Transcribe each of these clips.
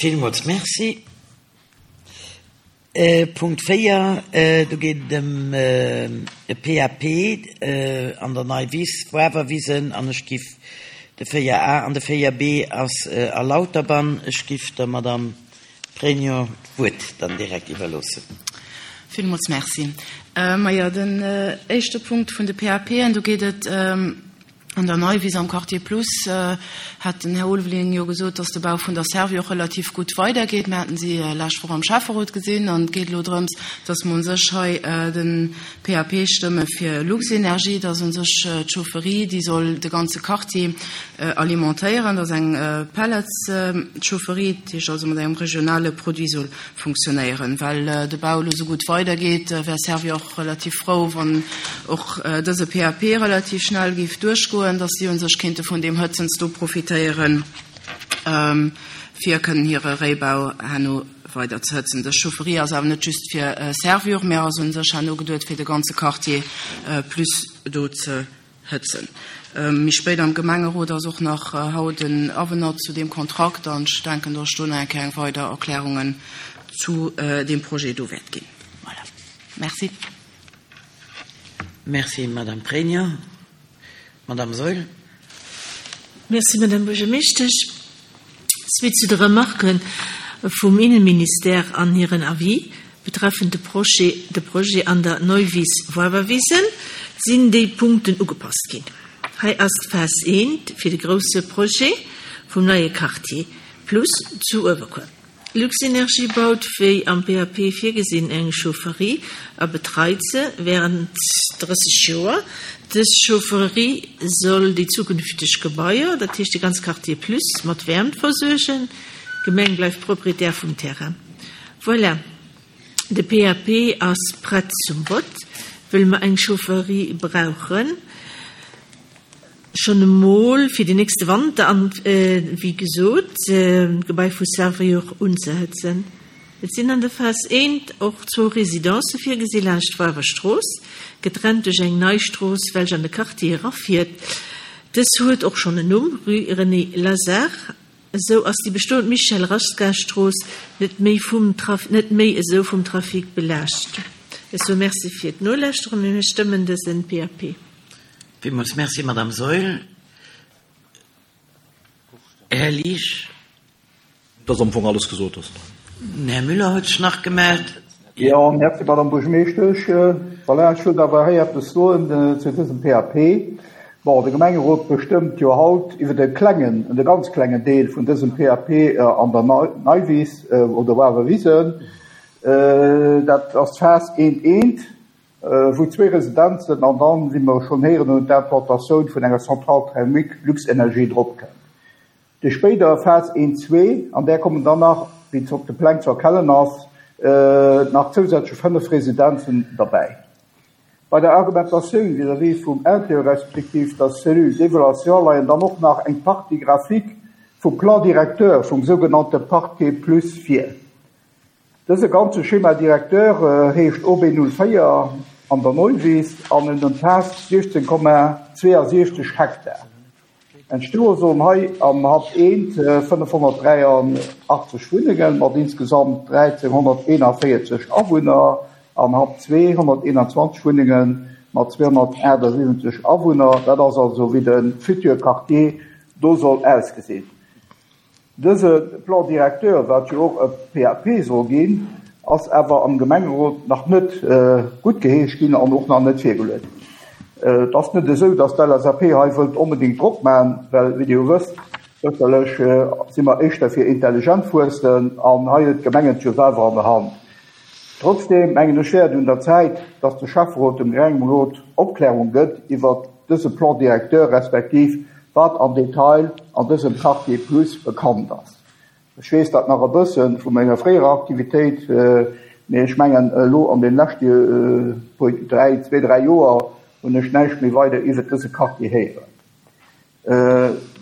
Villmools Merci. Punkt 4, do geet et ëm e PAP an der Neiwiss, Wawerwisen, an ech giff de 4 A an de 4 B ass a Lauterbann. Ech giff der Madame Pregno d'Wuert dann direkt iwwerloossen. Villmools Merci. Majo, den éischte Punkt vun de PAPen, do geet et An der Neiwiss am Quartier Plus hat den Här Ulveling jo gesot, dass de Bau vun der Servior och relativ gutt weidergeet. Mir haten si lescht Woch am Schäfferot gesinn an et geet elo drëms, dass mer u sech hei de PAP stëmme fir Luxenergie. Dat ass u sech d'Chaufferie, déi soll de ganze Quartier alimentéieren. Dat ass eng Pellets-Chaufferie, dat heescht also mat engem regionale Produit soll funktionéieren. Well de Bau elo esou gutt weidergeet, wär Servior och relativ frou, wann och dëse PAP relativ schnell géif duerchgoen, dass si u sech kéinte vun deem Hëtzens do profitéieren, fir kënnen hire Réibau herno weider ze hëtzen. Dës Chaufferie ass awer net just fir Servior, mä ass u sech herno geduet, fir de ganze Quartier plus do ze hëtzen. Méi spéit am Gemengerot ass och nach haut en Avenant zu deem Kontrakt an ech denken, dass ech do nach eng Kéier eng weider Erklärungen zu deem Projet do wäert ginn. Voilà. Merci. Merci, Madame Pregno. Madame Saeul. Merci, Madame Buergermeeschtesch. Suite zu de Remarque vum Innenministère an hiren Avis betreffend de Projet de Projet an der Neuwiss-Woiwerwisen sinn déi Punkten ugepasst ginn. Hei ass d'Phas I fir de grousse Projet vum neie Quartier Plus zu Uewerkuer. Luxenergie baut, wéi am PAP virgesinn, eng Chaufferie a betreit se wärend 30 Joer. Dës Chaufferie soll déi zukünfteg Gebaier, dat heescht de ganz Quartier Plus, mat Wäermt versuergen. D'Gemeng bleift Proprietär vum Terrain. Voilà, de PAP ass prett zum Vott, wëll mer eng Chaufferie brauchen. Schonn emol fir den nächste Wanter an, wéi gesot, d'Gebai vu Servior unzehëtzen. Et sinn an der Phas I och zwou Residencë virgesi laanscht d'Woiwer Strooss, getrennt duerch eng nei Strooss, welch an de Quartier erafiert. Dës huet och schonn en Numm, Rue René Lazard. Esou ass déi bestoend Michel Rasquin Strooss net méi vum net méi esou vum Trafic belaascht. Ech soe Merci fir d'Nolauschteren a mir stëmmen dësen PAP. Villmools Merci, Madame Saeul. Här Liesch. Et ass am Fong alles gesot. Den Här Müller huet sech nach gemellt. Jo, Merci, Madame Buergermeeschtesch. Voilà, ech wëllt awer hei eppes soen zu dësem PAP. Bon, de Gemengerot bestëmmt jo haut iwwer e klengen, e ganz klengen Deel vun dësem PAP an der Neiwiss oder Wawerwisen. Dat ass d'Phas eent eent. Wou zwee Residenzen an dann, wéi mer schonn héieren hunn, d'Implantatioun vun enger Centrale thermique Luxenergie drop kënnt. Déi spéider Phas I, ii, an där kommen dann nach, wéi op de Pläng ze erkennen ass, nach zousätzlech 5 Residenzen derbäi. Bei der Argumentatioun vis-à-vis vum Intérieur respektiv der Cellule d'évaluation leien dann och nach eng Partie Graphique vum Plan directeur vum sougenannte Parquet plus vir. Dëse ganze Schéma directeur heescht OB 04 an der Neuwiss an en ëmfaasst 16,62 Hektar. Entstoe sollen hei am Happ I 583 Wunnenge mat insgesamt 1.341 Awunner, am Happ ii 121 Wunnenge mat 278 Awunner. Dat ass also wéi de futur Quartier do soll ausgesinn. Dëse Plan directeur, wat jo och e PAP soll ginn, ass awer am Gemengerot nach net guttgeheescht ginn an och nach net virgeluet. Et ass net esou, datt d'LSAP hei wëllt onbedéngt Drock maachen, well, wéi Dir jo wësst, sécherlech si mer éischter fir intelligent Wuessen an hei huet d'Gemeng et jo selwer an der Hand. Trotzdeem mengen ech wär et un der Zäit, dass de Schäfferot dem Gemengerot Opklärung gëtt iwwert dëse Plan directeur respektiv wat am Detail an dësem Quartier Plus bekannt ass. Ech weess dat nach e bësse vu menger fréierer Aktivitéit, mee ech mengen elo an den leschte puer, dräi, zwee, dräi Joer hunn ech näischt méi weider iwwert dëse Quartier héieren.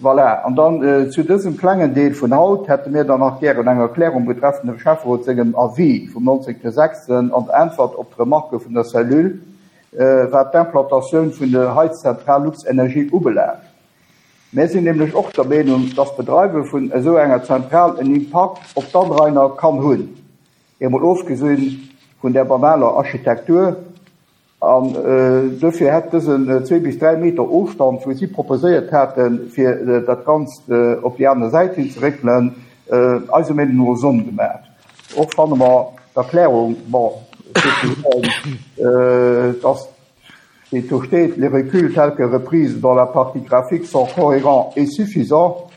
Voilà, an dann zu dësem klengen Deel vun haut hätte mir dann nach gären eng Erklärung betreffend dem Schäfferot sengem Avis vum 19.06 an Äntwert op d'Remarque vun der Cellule, wat d'Implantatioun vun der Heizzentral Luxenergie ubelaangt. Mär sinn nämlech och der Meenung, dass d'Bedreiwe vun esou enger Zentral en Impakt op d'Anrainer kann hunn, emol ofgesinn vun där banaler Architektur. An dofir hätt dësen zwee bis 3 Meter Ofstand, wou si proposéiert haten, fir dat Ganzt op déi aner Säit hin ze réckelen, eiser Meenung no Sonn gemaach. Och fanne mer d'Erklärung, bon, souzesoen, dass, wéi et do steet, les reculs tels que reprise dans la partie graphique sont cohérents et suffisants,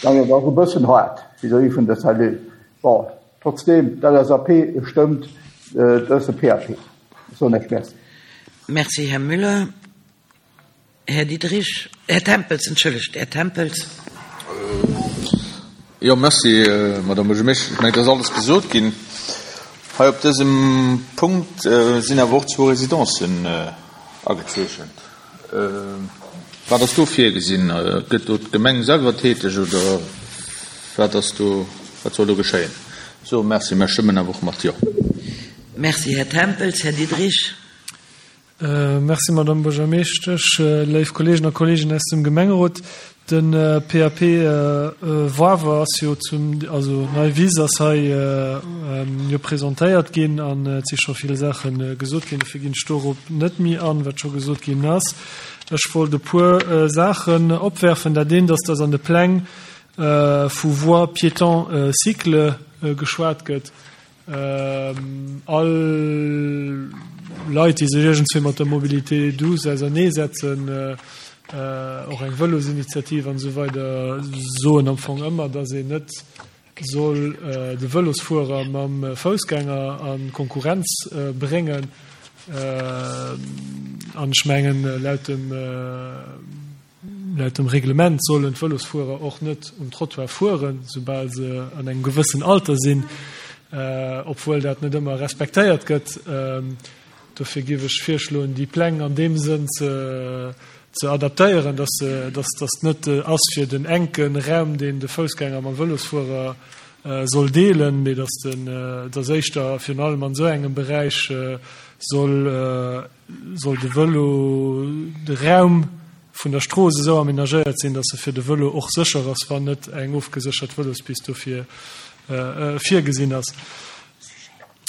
mengen ech, ass e bëssen haart vis-à-vis vun der Cellule. Bon, trotzdeem, d'LSAP stëmmt dëse PAP. Ech soen Iech Merci. Merci, Här Müller. Här Diderich, Här Tempels, entschëllegt, Här Tempels. Jo, merci, Madame Buergermeeschtesch. Ech mengen, et ass alles gesot ginn. Hei op dësem Punkt sinn awer och zwou Residencen agezeechent. Wat ass do virgesinn? Gëtt do d'Gemeng selwer täteg oder wat ass do, wat soll do geschéien? So, merci, mer stëmmen awer och mat Jo. Merci, Här Tempels. Här Diderich. Merci, Madame Buergermeeschtesch. Léif Kolleegen a Kolleegen aus dem Gemengerot, de PAP Woarwer ass jo zum, also Nei Wiss ass hei jo presentéiert ginn an et si scho vill Saache gesot ginn. Dofir ginn ech dorop net méi an, wat scho gesot ginn ass. Ech wollt e puer Saachen opwerfen. Dat eent ass, dass an de Pläng vu Voies piétons-cycles geschwat gëtt. All Leit, déi sech iergendswéi mat der Mobilité douce auserneesetzen, och eng Vëlosinitiativ an esou weider, soen am Fong ëmmer, dass een net soll de Vëlosfuerer mam Foussgänger a Konkurrenz bréngen. An ech mengen, laut dem. Laut dem Reglement sollen d'Vëlosfuerer och net um Trottoir fueren, soubal se an engem gewëssen Alter sinn, obwuel dat net ëmmer respektéiert gëtt. Dofir géif ech virschloen, déi Pläng an deem Sënn ze adaptéieren, dass dass net ass fir den enke Raum, deen de Foussgänger mam Vëlosfuerer soll deelen, mee dass den dass éischter virun allem an esou engem Beräich soll soll de Vëlo, de Raum vun der Strooss esou amenagéiert sinn, datt e fir de Vëlo och sécher ass, wann net eng ofgeséchert Vëlospist dofir virgesinn ass.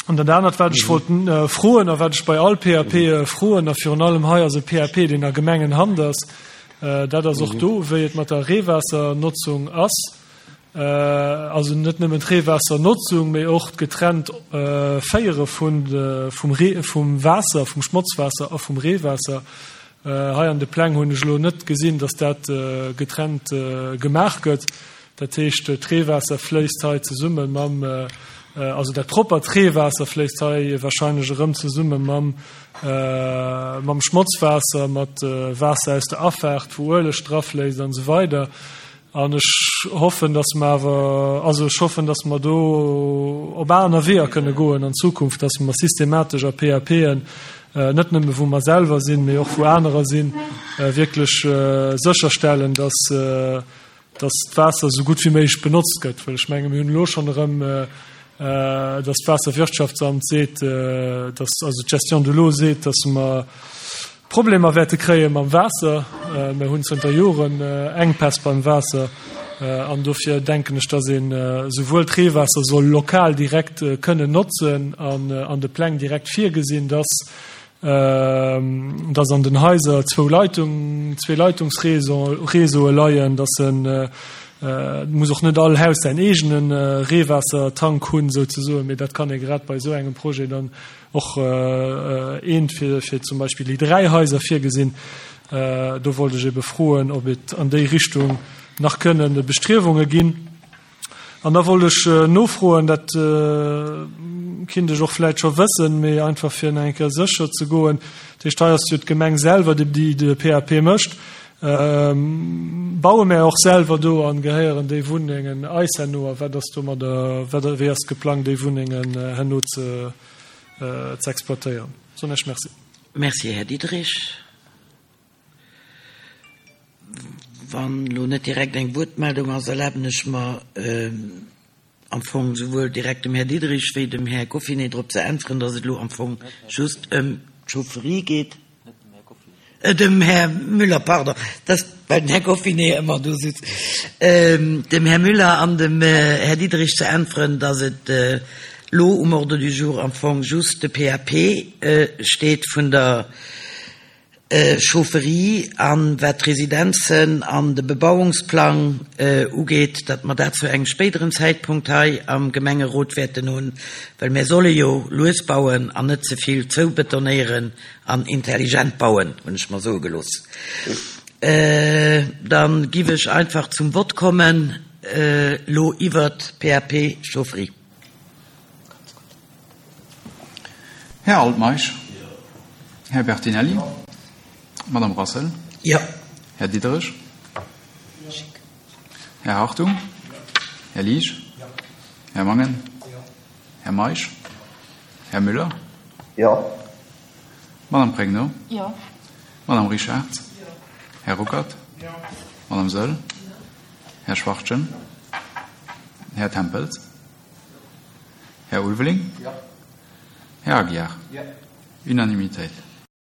An dat anert, wat ech wollt froen a wat ech bei all PAP froen, a virun allem hei ass e PAP, deen a Gemengenhand ass, dat ass och do, wéi et mat der Reewaassernotzung ass. Also net nëmmen d'Reewaassernotzung, mee och d'getrennt Féiere vum Waasser, vum Schmotzwaasser a vum Reewaasser. Hei an de Pläng hunn ech elo net gesinn, datt dat getrennt gemaach gëtt. Dat heescht, d'Reewaasser fléisst hei zesumme mam, also dat proppert Reewaasser fléisst hei wahrscheinlech erëm zesumme mam Schmotzwaasser, mat Waasser aus der Afaart, wou Ueleg drafléisst an esou weider. An ech hoffen, dass mer awer, also ech hoffen, dass mer do op aner Weeër kënne goen an Zukunft, dass mer systematesch a PAPen, net nëmme wou mer selwer sinn, mee och wou anerer sinn, wierklech sécherstellen, dass, dass d'Waasser esou gutt wéi méiglech benotzt gëtt. Well ech menge mir hunn elo schonn erëm, dass d'Waasserwirtschaftsamt seet, dass, also d'Gestion de l'eau seet, dass mer, Problemer wäerte kréie mam Waasser. Mir hunn zënter Joren Enkpäss beim Waasser an dofir denken ech, dass een esouwuel d'Reewaasser soll lokal direkt kënnen notzen an an de Pläng direkt virgesinn, dass dass an den Haiser zwou Leitung, zwee Leitungsréseaue leien, dass en, et muss och net all Haus säin eegene Reewaassertank hunn souzesoen, mee dat kann ee grad bei esou engem Projet dann Och eent fir zum Beispill déi 3 Haiser virgesinn. Do wollt ech ebe froen, ob et an déi Richtung nach kënnen Bestriewunge ginn. An da wollt ech nofroen, dat kinnt ech och vläicht scho wëssen, mee einfach fir nach eng Kéier sécher ze goen, dat heescht, hei ass jo d'Gemeng selwer, déi de PAP mécht. Baue mär och selwer do an gehéieren déi Wunnengen eis herno? A wat ass domadder, wat, wéi ass geplangt déi Wunnengen herno ze ze exploitéieren? Soen Iech Merci. Merci, Här Diderich. Wann elo net direkt eng Wuertmeldung ass, erlaben ech mer, am Fong souwuel direkt dem Här Diderich wéi dem Här Goffinet drop ze äntweren, dass et elo am Fong just ëm d'Chaufferie geet. Dem Här Müller, pardon, dass. Well den Här Goffinet ëmmer do sutz. Dem Här Müller an dem Här Diderich ze äntweren, datt et elo um Ordre du jour am Fong just de PAP steet vun der Chaufferie an wat d'Residenzen an de Bebauungsplang ugeet, datt mer dat zu engem spéideren Zäitpunkt hei am Gemengerot wäerten hunn, well mir solle jo lues bauen an net ze vill zoubetonéieren an intelligent bauen, hunn ech mer soe gelooss. Da giff ech einfach zum Vott kommen elo iwwert d'PAP Chaufferie. Här Altmeisch. Här Bertinelli. Madame Rassel. Jo. Här Diderich. Här Hartung. Här Liesch. Här Mangen. Här Meisch. Här Müller. Jo. Madame Pregno. Jo. Madame Richard. Här Ruckert. Madame Saeul. Här Schwachtgen. Här Tempels. Här Ulveling. Här Aguiar. Unanimitéit.